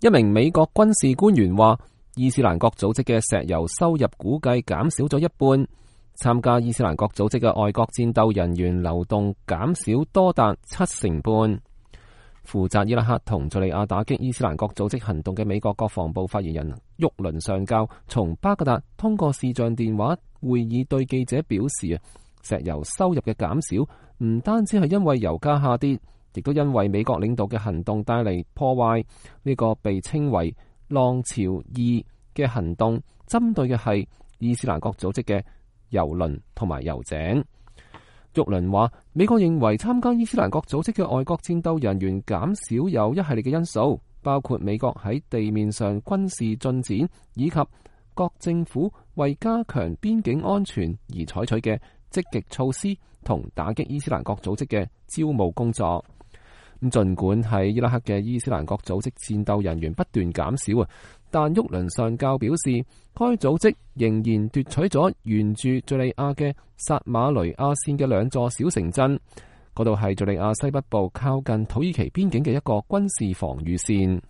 一名美國軍事官員話，伊斯蘭國組織嘅石油收入估計減少咗一半，參加伊斯蘭國組織嘅外國戰鬥人員流動減少多達70%半。負責伊拉克同敘利亞打擊伊斯蘭國組織行動嘅美國國防部發言人沃倫上校從巴格達通過視像電話會議對記者表示，石油收入嘅減少唔單止係因為油價下跌，亦都因為美國領導嘅行動帶嚟破壞。呢個被稱為浪潮2嘅行動，針對嘅係伊斯蘭國組織嘅油輪同埋油井。沃倫話，美國認為參加伊斯蘭國組織嘅外國戰鬥人員減少有一系列嘅因素，包括美國喺地面上軍事進展，以及各政府為加強邊境安全而採取嘅積極措施同打擊伊斯蘭國組織嘅招募工作。咁盡管喺伊拉克嘅伊斯蘭國組織戰鬥人員不斷減少，但沃倫上校表示，該組織仍然奪取咗沿住敘利亞嘅薩馬雷亞線嘅2座小城鎮，嗰度係敘利亞西北部靠近土耳其邊境嘅一個軍事防禦線。